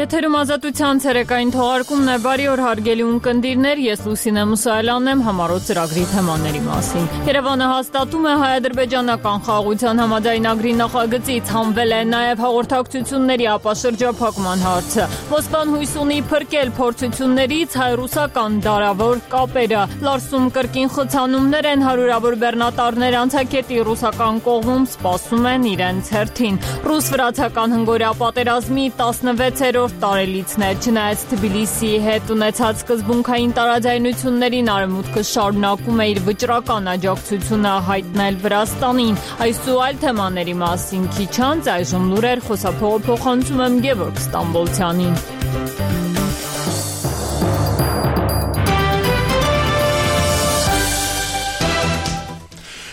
Եթերում ազատության ցերեկային թողարկումն է, բարի օր հարգելի ունկնդիրներ, ես Լուսինե Մուսայելյանն եմ, համառոտ ծրագրի թեմաների մասին։ Երևանը հաստատում է հայ-ադրբեջանական խաղաղության համաձայնագրի նախագծից, հանվել է նաև հաղորդակցությունների ապաշրջափակման հարցը։ Մոսկվան հույս ունի փրկել փորձություններից հայ-ռուսական դարավոր կապերը։ Լարսում կրկին խցանումներ են, հարյուրավոր բեռնատարներ անցակետի ռուսական կողմում սպասում են իրենց հերթին։ Ռուս-վրացական հնգօրյա պատերազմի 16-րդ տարելիցն է, չնայած Թբիլիսիի հետ ունեցած սկզբունքային տարաձայնություններին Արևմուտքը շարունակում է իր վճռական աջակցությունը հայտնել Վրաստանին։ Այս ու այլ թեմաների մասին քիչ անց այժմ լուրեր խոսափողը փոխանցում եմ Գևորգ Ստամբոլցյանին։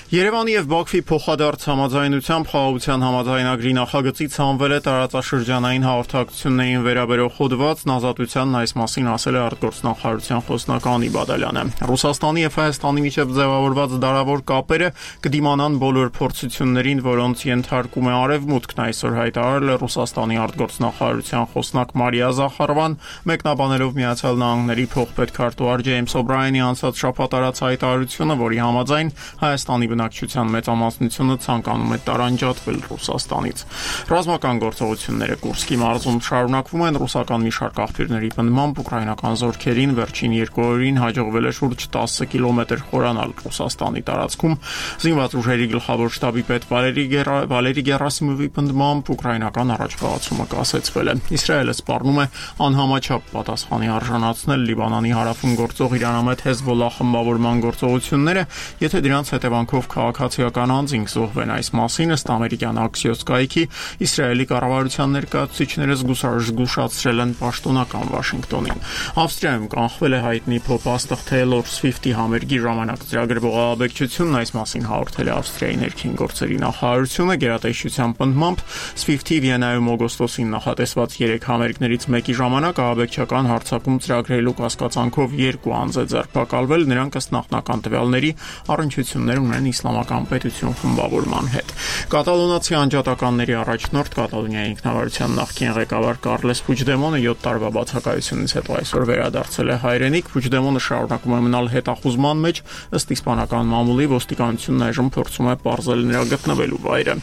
Երևանի և Բաքվի փոխադարձ համաձայնությամբ խաղաղության համաձայնագրի նախագծից հանվել է տարածաշրջանային հաղորդակցություններին վերաբերող հոդվածն, Ազատությանն այս մասին ասել է արտգործնախարարության խոսնակ Անի Բադալյանը։ Ռուսաստանի և Հայաստանի միջև ձևավորված դարավոր կապերը կդիմանան բոլոր փորձություններին, որոնց ենթարկում է Արևմուտքն, այսօր հայտարարել է Ռուսաստանի արտգործնախարարության խոսնակ Մարիա Զախարովան, մեկնաբանելով Միացյալ Նահանգների փոխպետքարտուղար Ջեյմս Օբրայենի անցած շաբաթ արած հայտարարությունը, որի համաձայն Հայաստանի բնակչության մեծամասնությունը ցանկանում է տարանջատվել Ռուսաստանից։ Ռազմական գործողությունները Կուրսկի մարզում շարունակվում են, ռուսական մի շարք աղբյուրների պնդմամբ ուկրաինական զորքերին վերջին 2 օրերին հաջողվել է շուրջ 10 կիլոմետր խորանալ Ռուսաստանի տարածքում։ Զինված ուժերի գլխավոր շտաբի պետ Վալերի Գերասիմովի պնդմամբ ուկրաինական առաջխաղացումը կասեցվել է։ Իսրայելը սպառնում է անհամաչափ պատասխանի արժանացնել Լիբանանի հարավում գործող Իրանամետ Հեզբոլլահ խմբավորման գործողությունները, եթե դրանց հետևանքով քաղաքացիական անձինք զոհվեն։ Այս մասին ըստ ամերիկյան Axios կայքի Իսրայելի կառավարության ներկայացուցիչները զգուշացրել են պաշտոնական Վաշինգտոնին։ Ավստրիայում կանխվել է հայտնի փոփ-աստղ Taylor Swift-ի համերգի ժամանակ ծրագրվող ահաբեկչությունն, այս մասին հաղորդել է Ավստրիայի ներքին գործերի նախարարությունը։ Գերատեսչության պնդմամբ Swift-ի Վիեննայում օգոստոսին նախատեսված 3 համերգներից մեկի ժամանակ ահաբեկչական հարձակում ծրագրելու կասկածանքով 2 անձ է ձերբակալվել, նրանք ըստ նախնական տվյալների առնչություններ ունեն Իսլամական պետություն խմբավորման հետ։ Կատալոնացի անջատականների առաջնորդ Կատալոնիայի ինքնավարության նախկին ղեկավար Կարլես Փուչդեմոնը 7 տարվա բացակայությունից հետո այսօր վերադարձել է հայրենիք։ Փուչդեմոնը շարունակում է մնալ հետախուզման մեջ, ըստ իսպանական մամուլի ոստիկանությունն այժմ փորձում է պարզել նրա գտնվելու վայրը։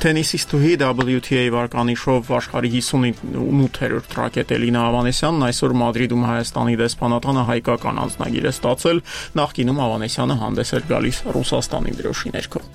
Թենիսիստուհի WTA վարկանիշով աշխարհի 58-րդ ռակետ Էլինա Ավանեսյանն այսօր Մադրիդում Հայաստանի դեսպանատանը հայկական անձնագիր է ստացել, նախկինում Ավանեսյանը հանդես էր գալիս Ռուսաստանի դրոշի ներքո։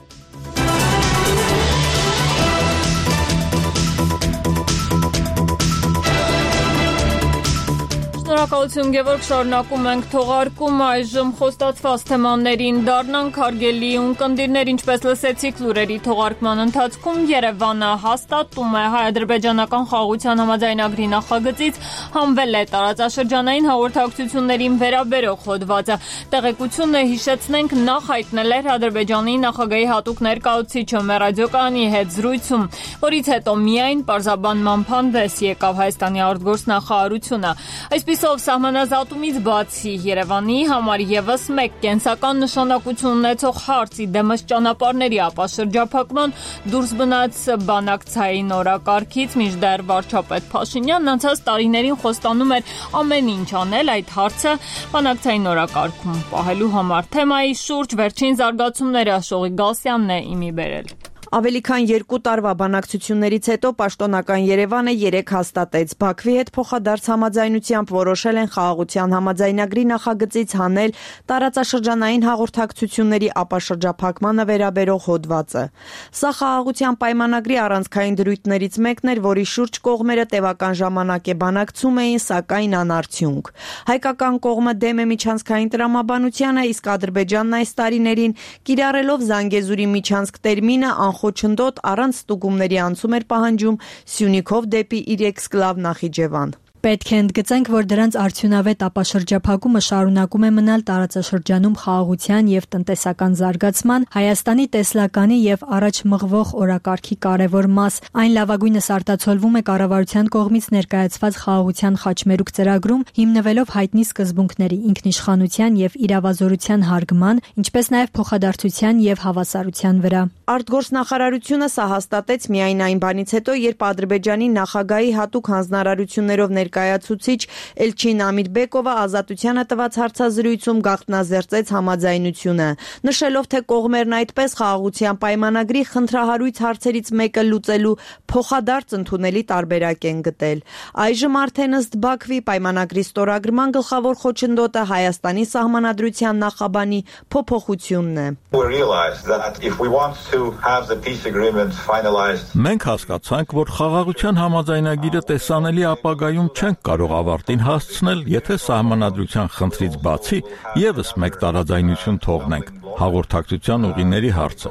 Շնորհակալություն Գևորգ, շարունակում ենք թողարկումը, այժմ խոստացված թեմաներին դառնանք հարգելի ունկնդիրներ, ինչպես լսեցիք լուրերի թողարկման ընթացքում, Երևանը հաստատում է հայ-ադրբեջանական խաղաղության համաձայնագրի նախագծից, հանվել է տարածաշրջանային հաղորդակցություններին վերաբերող հոդվածը։ Տեղեկությունը հիշեցնենք նախ հայտնել էր Ադրբեջանի նախագահի հատուկ ներկայացուցիչը ռադիոկայանի հետ զրույցում, որից հետո միայն պարզաբանման հանդես եկավ Հայաստանի արտգործնախարարությունը։ Այսպիսով սահմանազատումից բացի Երևանի համար եւս մեկ կենսական նշանակություն ունեցող հարցի դեմս ճանապարհների ապաշրջափակման դուրս մնաց բանակցային օրակարգից, մինչդեռ վարչապետ Փաշինյանն անցած տարիներին խոստանում էր ամեն ինչ անել այդ հարցը բանակցային օրակարգում պահելու համար։ Թեմայի շուրջ վերջին զարգացումները Աշողի Գալստյանն է իմի բերել։ Ավելի քան 2 տարվա բանակցություններից հետո պաշտոնական Երևանը 3 հաստատեց։ Բաքվի հետ փոխադարձ համաձայնությամբ որոշել են խաղաղության համաձայնագրի նախագծից հանել տարածաշրջանային հաղորդակցությունների ապաշրջափակմանը վերաբերող հոդվածը։ Սա խաղաղության պայմանագրի առանցքային դրույթներից մեկն էր, որի շուրջ կողմերը տևական ժամանակ է բանակցում էին, սակայն անարդյունք։ Հայկական կողմը դեմ է միջանցքային տրամաբանությանը, իսկ Ադրբեջանն այս տարիներին կիրառելով Զանգեզուրի միջանցք տերմինը խոչընդոտ առանց ստուգումների անցում էր պահանջում Սյունիքով դեպի իր էքսկլավ Նախիջևան։ Պետք է ընդգծենք, որ դրանց արդյունավետ ապաշրջափակումը շարունակում է մնալ տարածաշրջանում խաղաղության և տնտեսական զարգացման, Հայաստանի տեսլականի և առաջ մղվող օրակարգի կարևոր մաս։ Այն լավագույնս արտացոլվում է կառավարության կողմից ներկայացված խաղաղության խաչմերուկ ծրագրում, հիմնվելով հայտնի սկզբունքների՝ ինքնիշխանության և իրավազորության հարգման, ինչպես նաև փոխադարձության և հավասարության վրա։ Արտգործնախարարությունը սա հաստատեց միայն այն բանից հետո, երբ Ադրբեջանի նախագահի հատուկ հանձնարարություններով ներկայացուցիչ Էլչին Ամիրբեկովը Ազատությանը տված հարցազրույցում գաղտնազերծեց համաձայնությունը, նշելով, թե կողմերն այդպես խաղաղության պայմանագրի խնդրահարույց հարցերից մեկը լուծելու փոխադարձ ընդունելի տարբերակ են գտել։ Այժմ արդեն ըստ Բաքվի պայմանագրի ստորագրման գլխավոր խոչընդոտը Հայաստանի սահմանադրության նախաբանի փոփոխությունն է։ Մենք հասկացանք, որ խաղաղության համաձայնագիրը տեսանելի ապագայում չենք կարող ավարտին հասցնել, եթե սահմանադրության խնդրից բացի ևս մեկ տարաձայնություն թողնենք՝ հաղորդակցության ուղիների հարցը։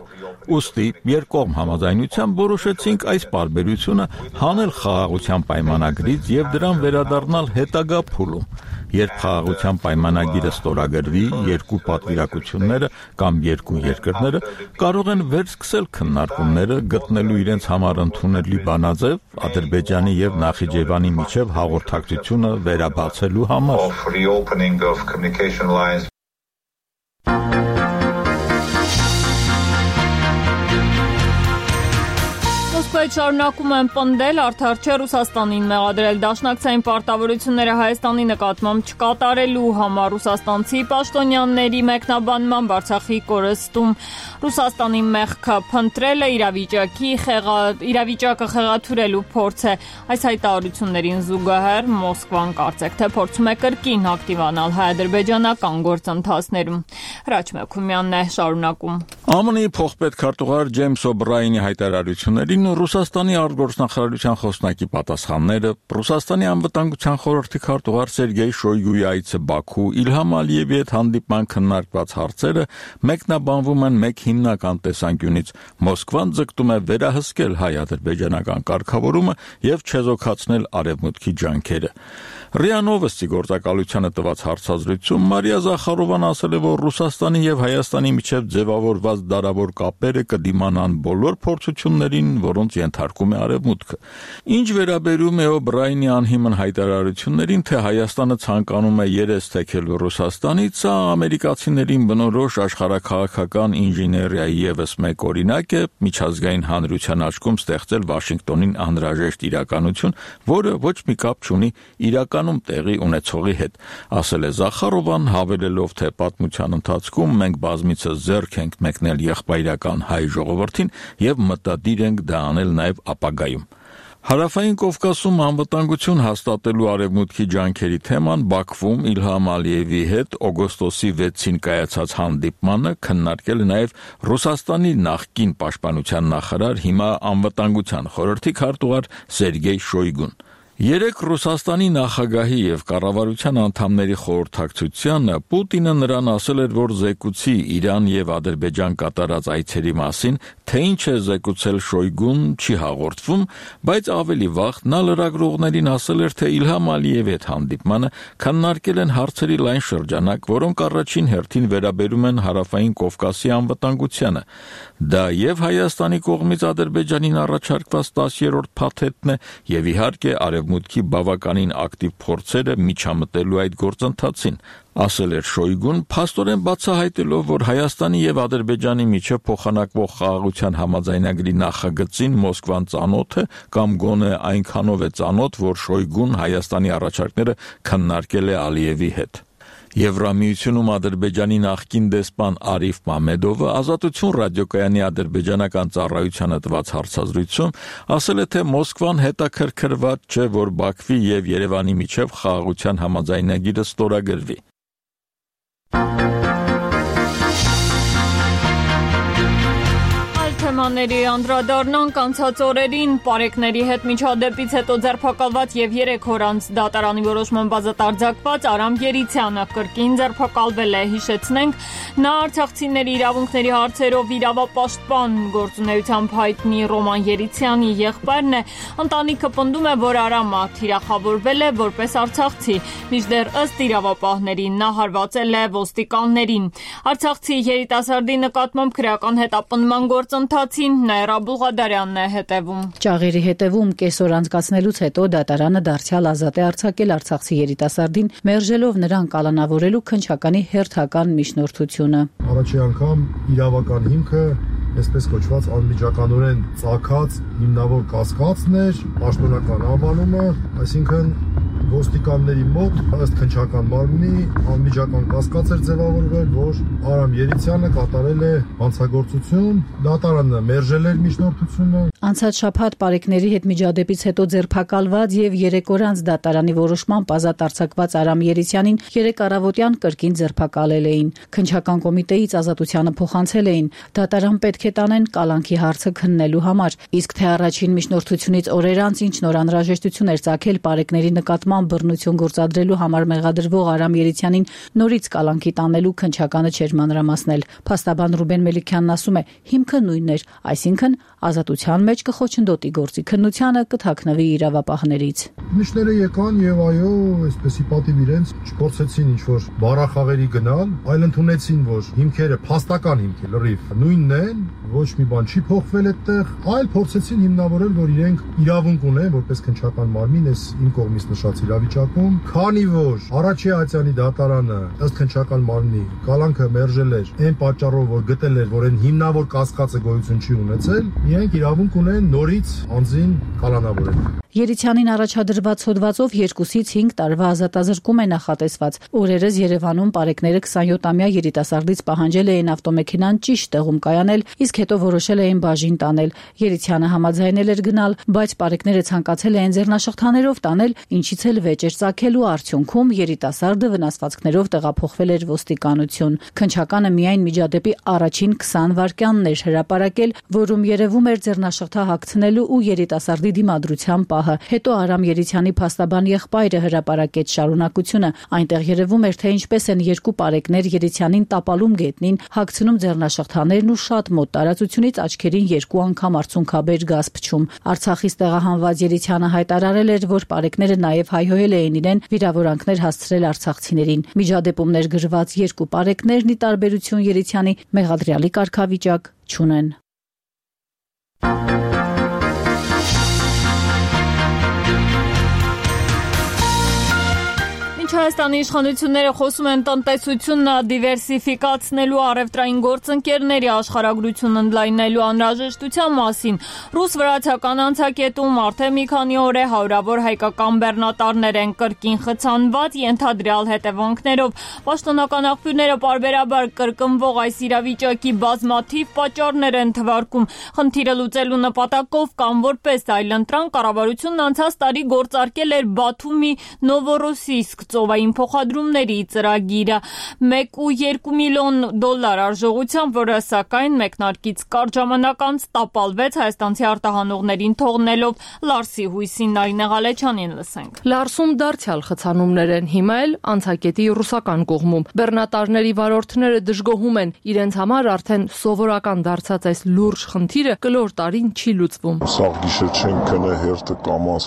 Ուստի երկկողմ համաձայնությամբ որոշեցինք այս պարբերությունը հանել խաղաղության պայմանագրից և դրան վերադառնալ հետագա փուլում, երբ խաղաղության պայմանագիրը ստորագրվի, երկու պատվիրակությունները կամ երկու երկրները կարող են վերսկսել քննարկումները, գտնելու իրենց համար ընդունելի բանաձև Ադրբեջանի և Նախիջևանի միջև հաղորդակցությունը վերաբացելու համար։ Մոսկվայից շարունակում են պնդել, արդար չէ Ռուսաստանին մեղադրել դաշնակցային պարտավորությունները Հայաստանի նկատմամբ չկատարելու համար ռուսաստանցի պաշտոնյաների մեկնաբանմամբ Արցախի կորստում Ռուսաստանի մեղքը փնտրելը իրավիճակը խեղաթյուրելու փորձ է։ Այս հայտարարություններին զուգահեռ Մոսկվան կարծեք թե փորձում է կրկին ակտիվանալ հայ-ադրբեջանական գործընթացներում։ Հրաչ Մեքումյանն է շարունակում։ ԱՄՆ-ի փոխպետքարտուղար Ջեյմս Օբրայենի հայտարարություններին Ռուսաստանի արտգործնախարարության խոսնակի պատասխանները, Ռուսաստանի անվտանգության խորհրդի քարտուղար Սերգեյ Շոյգուի այցը Բաքու, Իլհամ Ալիևի հետ հանդիպման քննարկված հարցերը մեկնաբանվում են մեկ հիմնական տեսանկյունից։ Մոսկվան ձգտում է վերահսկել հայ-ադրբեջանական կարգավորումը և չեզոքացնել արևմուտքի ջանքերը։ ՌԻԱ Նովոստի գործակալությանը տված հարցազրույցում Մարիա Զախարովան ասել է, որ Ռուսաստանի և Հայաստանի միջև ձևավորված դարավոր կապերը կդիմանան բոլոր փորձություններին, որոնց ենթարկում է արևմուտքը։ Ինչ վերաբերում է Օբրայենի անհիմն հայտարարություններին, թե Հայաստանը ցանկանում է երես թեքել Ռուսաստանից, սա ամերիկացիներին բնորոշ աշխարհաքաղաքական ինժեներիայի ևս մեկ օրինակ է միջազգային հանրության աչքում ստեղծել Վաշինգտոնին անհրաժեշտ իրականություն, որը ոչ մի կապ չունի իրականում տեղի ունեցողի հետ, ասել է Զախարովան, հավելելով, թե պատմության ընթացքում մենք բազմիցս ձեռք ենք մեկնել եղբայրական հայ ժողովրդին և մտադիր ենք դա անել նաև ապագայում։ Հարավային Կովկասում անվտանգություն հաստատելու արևմուտքի ջանքերի թեման Բաքվում Իլհամ Ալիևի հետ օգոստոսի 6-ին կայացած հանդիպմանը քննարկել է նաև Ռուսաստանի նախկին պաշտպանության նախարար, հիմա անվտանգության խորհրդի քարտուղար Սերգեյ Շոյգուն։ Երեկ Ռուսաստանի նախագահի և կառավարության անդամների խորհրդակցությանը Պուտինը նրան ասել էր, որ զեկուցի Իրան և Ադրբեջան կատարած այցերի մասին, թե ինչ է զեկուցել Շոյգուն չի հաղորդվում, բայց ավելի վաղ նա լրագրողներին ասել էր, թե Իլհամ Ալիևի հետ հանդիպմանը քննարկել են հարցերի լայն շրջանակ, որոնք առաջին հերթին վերաբերում են Հարավային Կովկասի անվտանգությանը։ Դա և Հայաստանի կողմից Ադրբեջանին առաջարկված 10-րդ փաթեթն է, և իհարկե արևմուտքի բավականին ակտիվ փորձերը միջամտելու այդ գործընթացին, ասել էր Շոյգուն, փաստորեն բացահայտելով, որ Հայաստանի և Ադրբեջանի միջև փոխանակվող խաղաղության համաձայնագրի նախագծին Մոսկվան ծանոթ է կամ գոնե այնքանով է ծանոթ, որ Շոյգուն Հայաստանի առաջարկները քննարկել է Ալիևի հետ։ Եվրամիությունում Ադրբեջանի նախկին դեսպան Արիֆ Մամեդովը Ազատություն ռադիոկայանի ադրբեջանական ծառայությանը տված հարցազրույցում ասել է, թե Մոսկվան հետաքրքրված չէ, որ Բաքվի և Երևանի միջև խաղաղության համաձայնագիրը ստորագրվի։ Թեման թեմաների անդրադառնանք անցած օրերին պարեկների հետ միջադեպից հետո ձերբակալված եւ 3 օր անց դատարանի որոշման բազատ արձակված Արամ Երիցյանը կրկին ձերբակալվել է, հիշեցնենք, նա արցախցիների իրավունքների հարցերով իրավապաշտպան գործունեությամբ հայտնի Ռոման Երիցյանի եղբայրն է, ընտանիքը պնդում է, որ Արամը թիրախավորվել է որպես արցախցի, մինչդեռ ըստ իրավապահների նա հարվածել է ոստիկաններին։ Արցախցի երիտասարդի նկատմամբ քրեական հետապնդման գործընթացին Նաիրա Բուղադարյանն է հետևում։ Ճաղերի հետևում կեսօր անցկացնելուց հետո դատարանը դարձյալ ազատ է արձակել արցախցի երիտասարդին, մերժելով նրան կալանավորելու քննչականի հերթական միջնորդությունը։ Առաջի անգամ իրավական հիմքը այսպես կոչված անմիջականորեն ծագած հիմնավոր կասկածն էր, պաշտոնական անվանումը, այսինքն ոստիկանների մոտ ըստ քննչական մարմնի անմիջական կասկած էր ձևավորվել, որ Արամ Երիցյանը կատարել է հանցագործություն, դատարանը մերժել էր միջնորդությունը։ Անցած շաբաթ պարեկների հետ միջադեպից հետո ձերբակալված եւ 3 օր անց դատարանի որոշմամբ ազատ արձակված Արամ Երիցյանին 3 առավոտյան կրկին ձերբակալել էին։ Քննչական կոմիտեից ազատությանը փոխանցել էին, դատարան պետք է տանեն կալանքի հարցը քննելու համար, իսկ թե առաջին միջնորդությունից օրեր անց ինչ նոր անհրաժեշտություն էր ծագել պարեկների նկատմամբ բռնություն գործադրելու համար մեղադրվող Արամ Երիցյանին նորից կալանքի տանելու քննչականը չէր մանրամասնել։ Փաստաբան Ռուբեն Մելիքյանն ասում է, հիմքը նույնն էր, այսինքն ազատության մեջ կխոչընդոտի գործի քննությանը, կթաքնվի իրավապահներից։ Միշները եկան եւ այո, այսպեսի պատիվ իրենց չփորձեցին ինչ-որ բառախաղերի գնալ, այլ ընդունեցին, որ հիմքերը փաստական հիմք է, լրիվ նույնն են, ոչ մի բան չի փոխվել այդտեղ, այլ փորձեցին հիմնավորել, որ իրենք իրավունք ունեն, որպես քննչական մարմին, այս իմ կողմից նշած իրավիճակում, քանի որ առաջի ատյանի դատարանը ըստ քննչական մարմնի կալանքը մերժել էր այն պատճառով, որ գտել էր, որ այն հիմնավոր կասկածը գոյություն չի ունեցել, իրենք իրավունք ունեն նորից անձին կալանավորել։ Երիցյանին առաջադրված հոդվածով 2-ից 5 տարվա ազատազրկում է նախատեսված։ Օրերս Երևանում պարեկները 27-ամյա երիտասարդից պահանջել էին ավտոմեքենան ճիշտ տեղում կայանել, իսկ հետո որոշել էին բաժին տանել։ Երիցյանը համաձայնել էր գնալ, բայց պարեկները ցանկացել էին ձեռնաշղթաներով տանել, ինչից էլ վեճ էր ծագելու, արդյունքում երիտասարդը վնասվածքներով տեղափոխվել էր ոստիկանություն։ Քննչականը միայն միջադեպի առաջին 20 վայրկյանն էր հրապարակել, որում երևում էր ձեռնաշղթա հագցնելու ու երիտասարդի դիմադրության պահը։ Հետո Արամ Երիցյանի փաստաբան եղբայրը հրապարակեց շարունակությունը։ Այնտեղ երևում էր, թե ինչպես են երկու պարեկներ Երիցյանին տապալում գետնին, հագցնում ձեռնաշղթաներն ու շատ մոտ տարածությունից աչքերին 2 անգամ արցունքաբեր գազ փչում։ Արցախից տեղահանված Երիցյանը հայտարարել էր, որ պարեկները նաև հայհոյել էին իրեն վիրավորանքներ հասցրել արցախցիներին։ Միջադեպում ներգրված երկու պարեկներն ի տարբերություն Երիցյանի մեղադրյալի կարգավիճակ չունեն։ Հայաստանի իշխանությունները խոսում են տնտեսությունն դիվերսիֆիկացնելու, առևտրային գործընկերների աշխարհագրությունն ընդլայնելու անհրաժեշտության մասին։ Ռուս-վրացական անցակետում արդեն մի քանի օր է հարյուրավոր հայկական բեռնատարներ են կրկին խցանված ենթադրյալ հետևանքներով։ Պաշտոնական աղբյուրները պարբերաբար կրկնվող այս իրավիճակի բազմաթիվ պատճառներ են թվարկում։ Խնդիրը լուծելու նպատակով կամ որպես այլընտրանք կառավարությունն անցած տարի գործարկել էր Բաթումի Նովորոսիսկ ծովային փոխադրումների ծրագիրը 1.2 միլիոն դոլար արժողությամբ, որը սակայն մեկնարկից կարճ ժամանակ անց տապալվեց հայաստանցի արտահանողներին թողնելով Լարսի հույսին։ Նարինե Ղալեչյանին լսենք։ Լարսում դարձյալ խցանումներ են, հիմա էլ անցակետի ռուսական կողմում։ Բեռնատարների վարորդները դժգոհում են, իրենց համար արդեն սովորական դարձած այս լուրջ խնդիրը կլոր տարին չի լուծվում։ Սաղ գիշեր չենք քնե հերթը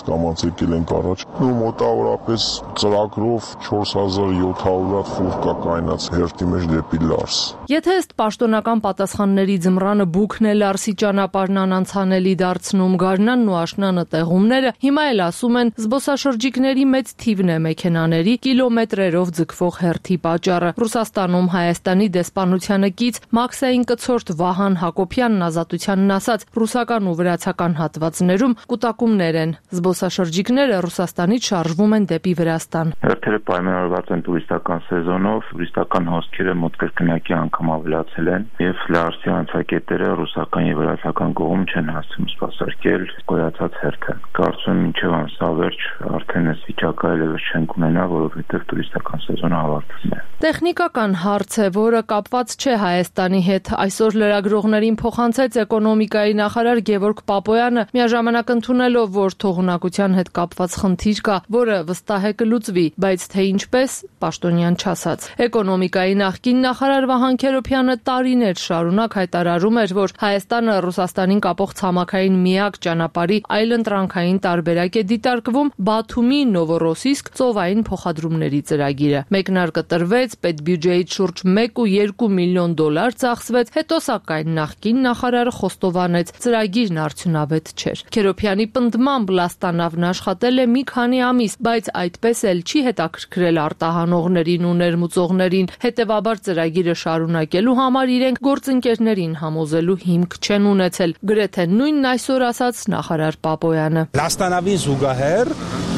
կամաց եկել ենք առաջ։ Ու մոտավորապես ծրագրով 4700 ֆուր կա կայնած հերթի մեջ դեպի Լարս։ Եթե ըստ պաշտոնական պատասխանների ձմռանը բուքն է Լարսի ճանապարհն անանցանելի դարձնում, գարնանն ու աշնանը տեղումները, հիմա էլ ասում են զբոսաշրջիկների մեծ թիվն է մեքենաների կիլոմետրերով ձգվող հերթի պատճառը։ Ռուսաստանում Հայաստանի դեսպանությանը կից Մաքսային կցորդ Վահան Հակոբյանն ազատությանն ասաց, ռուսական ու վրացական հատվածներում կուտակումներ են։ Զբոսաշրջիկները Ռուսաստանից շարժվում են դեպի Վրաստան։ Հերթերը պայմանավորված են տուրիստական սեզոնով, տուրիստական հոսքերը մոտ կրկնակի անգամ ավելացել են եւ Լարսի անցակետերը ռուսական եւ վրացական կողմ չեն հասցնում սպասարկել գոյացած հերթը։ Կարծում եմ մինչև ամսավերջ արդեն այս վիճակը այլևս չենք ունենա, որովհետև տուրիստական սեզոնը ավարտվում է։ Տեխնիկական հարց է, որը կապված չէ Հայաստանի հետ։ Այսօր լրագրողներին փոխանցեց էկոնոմիկայի նախարար Գևորգ Պապոյանը, միաժամանակ ընդունելով, որ թողունակության հետ կապված խնդիր կա, որը վստահ է կլուծվի, բայց թե ինչպես, պաշտոնյան չասաց։ Էկոնոմիկայի նախկին նախարար Վահան Քերոբյանը տարիներ շարունակ հայտարարում էր, որ Հայաստանը Ռուսաստանին կապող ցամաքային միակ ճանապարհի այլընտրանքային տարբերակ է դիտարկվում Բաթումի Նովորոսիսկ ծովային փոխադրումների ծրագիրը։ Մեկնարկը տրվեց, պետբյուջեից շուրջ 1.2 միլիոն դոլար ծախսվեց, հետո սակայն նախկին նախարարը խոստովանեց, ծրագիրն արդյունավետ չէր։ Քերոբյանի պնդմամբ Լաստանավն աշխատել է մի քանի ամիս, բայց այդպես էլ չի հետաքրքրել արտահանողներին ու ներմուծողներին, հետևաբար ծրագիրը շարունակելու համար իրենք գործընկերներին համոզելու հիմք չեն ունեցել, գրեթե նույնն այսօր ասաց նախարար Պապոյանը։ Լաստանավին զուգահեռ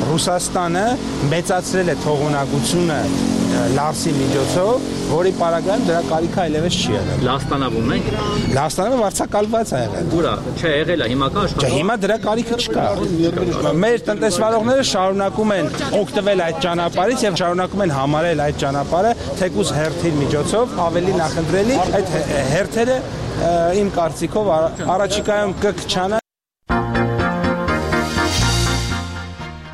Ռուսաստանը մեծացրել է թողունակությունը Լարսի միջոցով, որի պարագայում դրա կարիքը այլևս չի եղել։ Լաստանավում եք։ Լաստանավը վարձակալված է եղել։ Ուրա, չէ, եղել է, հիմա կա աշխատող։ Չէ, հիմա դրա կարիքը չկա։ Մեր տնտեսվարողները շարունակում են օգտվել այդ ճանապարհից եւ շարունակում են համարել այդ ճանապարհը թեկուզ հերթի միջոցով ավելի նախընտրելի։ Այդ հերթերը իմ կարծիքով առաջիկայում կքչանան։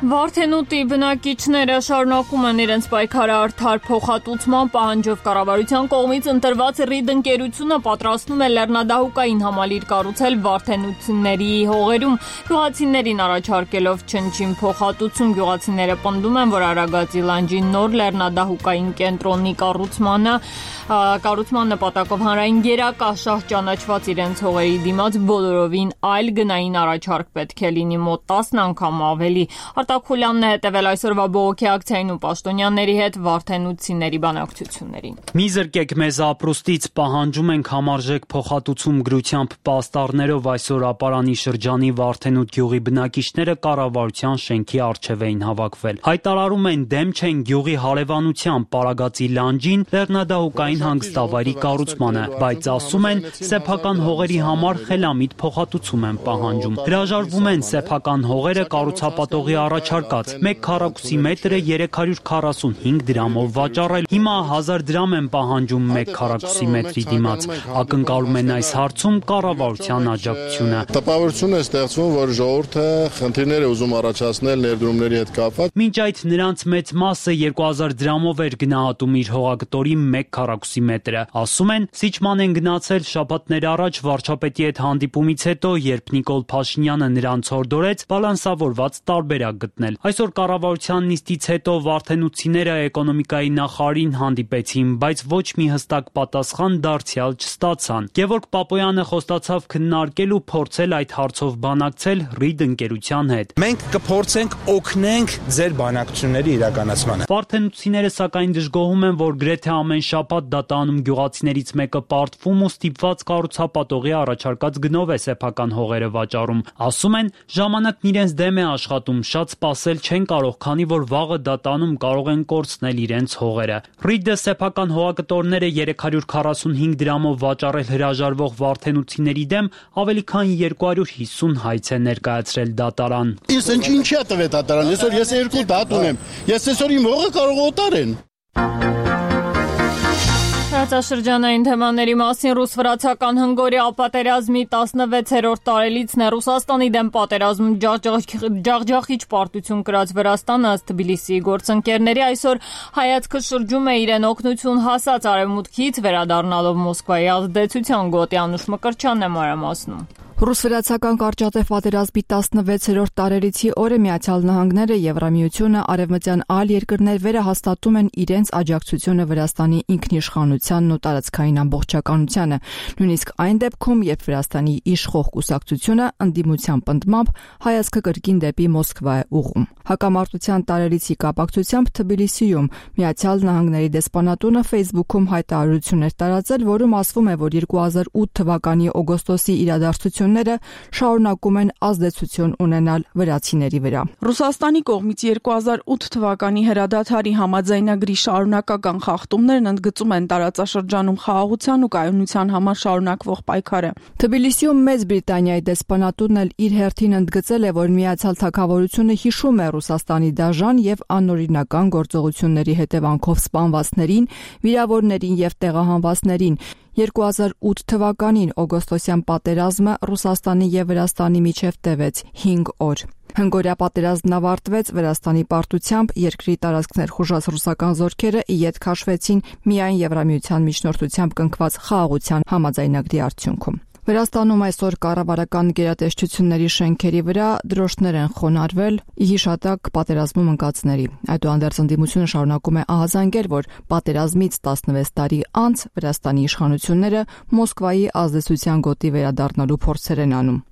Վարդենուտի բնակիչները շարունակում են իրենց պայքարը արդար փոխհատուցման պահանջով կառավարության կողմից ընտրված RID ընկերությունը պատրաստում է լեռնադահուկային համալիր կառուցել Վարդենուտների հողերում, գյուղացիներին առաջարկելով չնչին փոխհատուցում։ Գյուղացիները պնդում են, որ Արագածի լանջի նոր լեռնադահուկային կենտրոնի կառուցման նպատակով հանրային գերակա շահ ճանաչված իրենց հողերի դիմաց բոլորովին այլ գնային առաջարկ պետք է լինի մոտ 10 անգամ ավելի։ Արտակուլյանն է հետևել այսօրվա բողոքի ակցիային ու պաշտոնյաների հետ Վարդենուտցիների բանակցություններին։ Մի զրկեք մեզ ապրուստից, պահանջում ենք համարժեք փոխհատուցում գրությամբ պաստառներով այսօր Ապարանի շրջանի Վարդենուտ գյուղի բնակիչները կառավարության շենքի առջև էին հավաքվել։ Հայտարարում են դեմ չեն գյուղի հարևանությամբ Պարագածի լանջին լեռնադահուկային հանգստավայրի կառուցմանը, բայց ասում են սեփական հողերի համար խելամիտ փոխհատուցում են պահանջում։ Հրաժարվում են սեփական հողերը կառուցապատողի առաջարկած 1 քառակուսի մետրը 345 դրամով վաճառել։ Հիմա 1000 դրամ են պահանջում 1 քառակուսի մետրի դիմաց։ Ակնկալում են այս հարցում կառավարության աջակցությունը։ Տպավորություն է ստեղծվում, որ ժողովուրդը խնդիրներ է ուզում առաջացնել ներդրումների հետ կապված։ Մինչ այդ նրանց մեծ մասը 2000 դրամով էր գնահատում իր հողագտորի 1 քառակուսի մետրը։ Ասում են, Սիչման են գնացել շաբաթներ առաջ վարչապետի հետ հանդիպումից հետո, երբ Նիկոլ Փաշինյանը նրանց հորդորեց բալանսավորված տարբերակ գտնել։ Այսօր կառավարության նիստից հետո Վարդենուտցիները էկոնոմիկայի նախարարին հանդիպեցին, բայց ոչ մի հստակ պատասխան դարձյալ չստացան։ Գևորգ Պապոյանը խոստացավ քննարկել ու փորձել այդ հարցով բանակցել RID ընկերության հետ։ Մենք կփորձենք օգնենք ձեր բանակցությունների իրականացմանը։ Վարդենուտցիները սակայն դժգոհում են, որ գրեթե ամեն շաբաթ դատանում գյուղացիներից մեկը պարտվում ու ստիպված կառուցապատողի առաջարկած գնով է սեփական հողերը վաճառում։ Ասում են, ժամանակն իրենց դեմ է աշխատում, շատ սպասել չեն կարող, քանի որ վաղը դատանում կարող են կորցնել իրենց հողերը։ RID-ը սեփական հողակտորները 345 դրամով վաճառել հրաժարվող Վարդենուտցիների դեմ ավելի քան 250 հայց է ներկայացրել դատարան։ Ես ինչի՞ է տվել դատարան, այսօր ես 2 դատ ունեմ։ Ես այսօր իմ հողը կարող օտարեն։ Տարածաշրջանային թեմաների մասին ռուս-վրացական հնգորիա պատերազմի 16-րդ տարելիցն է Ռուսաստանի դեմ պատերազմ ջախջախիչ պարտություն կրած Վրաստանը ըստ Թբիլիսիի գործընկերների այսօր հայացքը շրջում է իրեն օգնություն հասած արևմուտքից վերադառնալով Մոսկվայի ազդեցության գոտի Անուշ Մկրտչյանն է մանրամասնում։ Ռուս-վրացական կարճատև պատերազմի 16-րդ տարելիցի օրը Միացյալ Նահանգները, Եվրամիությունը, արևմտյան այլ երկրներ վերահաստատում են իրենց աջակցությունը Վրաստանի ինքնիշխանությանն ու տարածքային ամբողջականությանը, նույնիսկ այն դեպքում, երբ Վրաստանի իշխող կուսակցությունը ընդդիմության պնդմամբ հայացքը կրկին դեպի Մոսկվա է ուղղում։ Հակամարտության տարելիցի կապակցությամբ Թբիլիսիում Միացյալ Նահանգների դեսպանատունը Facebook-ում հայտարարություն էր տարածել, որում ասվում է, որ 2008 թվականի օգոստոսի իրադարձությունները իշխանությունները շարունակում են ազդեցություն ունենալ վրացիների վրա։ Ռուսաստանի կողմից 2008 թվականի հրադադարի համաձայնագրի շարունակական խախտումներն ընդգծում են տարածաշրջանում խաղաղության ու կայունության համար շարունակվող պայքարը։ Թբիլիսիում Մեծ Բրիտանիայի դեսպանատունն էլ իր հերթին ընդգծել է, որ Միացյալ Թագավորությունը հիշում է Ռուսաստանի դաժան եւ անօրինական գործողությունների հետևանքով սպանվածներին, վիրավորներին եւ տեղահանվածներին։ 2008 թվականին օգոստոսյան պատերազմը Ռուսաստանի եւ Վրաստանի միջև տևեց 5 օր։ Հնգօրյա պատերազմն ավարտվեց Վրաստանի պարտությամբ, երկրի տարածքներ խուժած ռուսական զորքերը ի ետ քաշվեցին միայն Եվրամիության միջնորդությամբ կնքված խաղաղության համաձայնագրի արդյունքում։ Վրաստանում այսօր կառավարական գերատեսչությունների շենքերի վրա դրոշներ են խոնարհվել ի հիշատակ պատերազմում ընկածների։ Այդուհանդերձ ընդդիմությունը շարունակում է ահազանգել, որ պատերազմից 16 տարի անց Վրաստանի իշխանությունները Մոսկվայի ազդեցության գոտի վերադառնալու փորձեր են անում։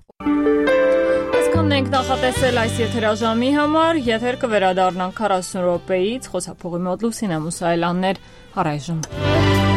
Այսքանն ենք նախատեսել այս եթերաժամի համար, եթեր կվերադառնանք 40 րոպեից, խոսափողի մոտ Լուսինե Մուսայելյանն էր, առայժմ։